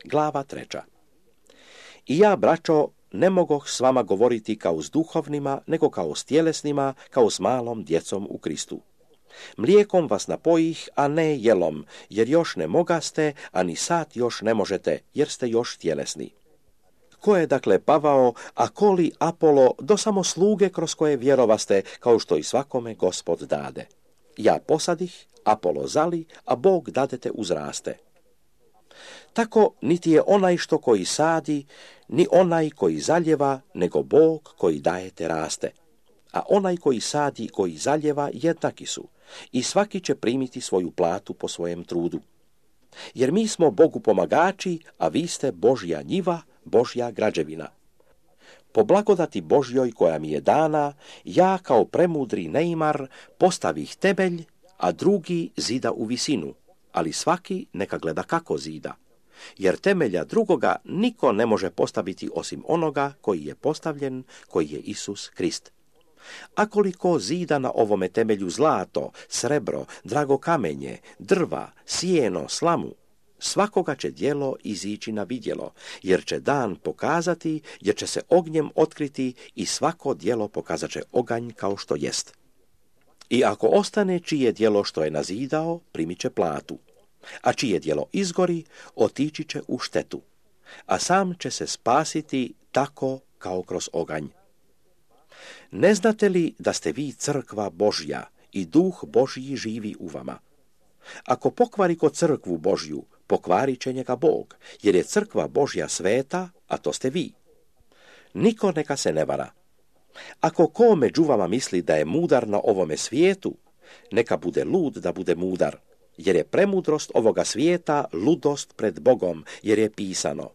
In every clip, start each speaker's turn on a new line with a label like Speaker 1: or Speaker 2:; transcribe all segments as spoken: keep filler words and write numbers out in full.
Speaker 1: Glava treća. I ja, braćo, ne mogoh s vama govoriti kao s duhovnima, nego kao s tjelesnima, kao s malom djecom u Kristu. Mlijekom vas napojih, a ne jelom, jer još ne mogaste, a ni sad još ne možete, jer ste još tjelesni. Ko je dakle Pavao, a ko li Apolo, do samo sluge kroz koje vjerovaste, kao što i svakome Gospod dade. Ja posadih, Apolo zali, a Bog dadete uzraste. Tako niti je onaj što koji sadi, ni onaj koji zaljeva, nego Bog koji dajete raste. A onaj koji sadi, koji zaljeva, jednaki su, i svaki će primiti svoju platu po svojem trudu. Jer mi smo Bogu pomagači, a vi ste Božja njiva, Božja građevina. Po blagodati Božjoj koja mi je dana, ja kao premudri neimar postavih temelj, a drugi zida u visinu, ali svaki neka gleda kako zida. Jer temelja drugoga niko ne može postaviti osim onoga koji je postavljen, koji je Isus Krist. A koliko zida na ovome temelju zlato, srebro, drago kamenje, drva, sjeno, slamu, svakoga će djelo izići na vidjelo, jer će dan pokazati, jer će se ognjem otkriti i svako djelo pokazat će oganj kao što jest. I ako ostane čije djelo što je nazidao, primit će platu, a čije djelo izgori, otići će u štetu, a sam će se spasiti tako kao kroz oganj. Ne znate li da ste vi crkva Božja i duh Božji živi u vama? Ako pokvari ko crkvu Božju, pokvarit će njega Bog, jer je crkva Božja sveta, a to ste vi. Niko neka se ne vara. Ako ko među vama misli da je mudar na ovome svijetu, neka bude lud da bude mudar, jer je premudrost ovoga svijeta ludost pred Bogom, jer je pisano: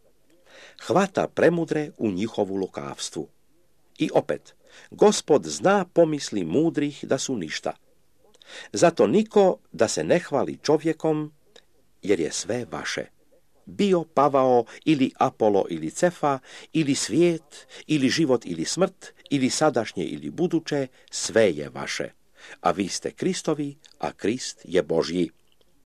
Speaker 1: hvata premudre u njihovu lukavstvu. I opet, Gospod zna pomisli mudrih da su ništa. Zato niko da se ne hvali čovjekom, jer je sve vaše. Bio Pavao ili Apolo ili Cefa, ili svijet, ili život ili smrt, ili sadašnje ili buduće, sve je vaše. A vi ste Kristovi, a Krist je Božji.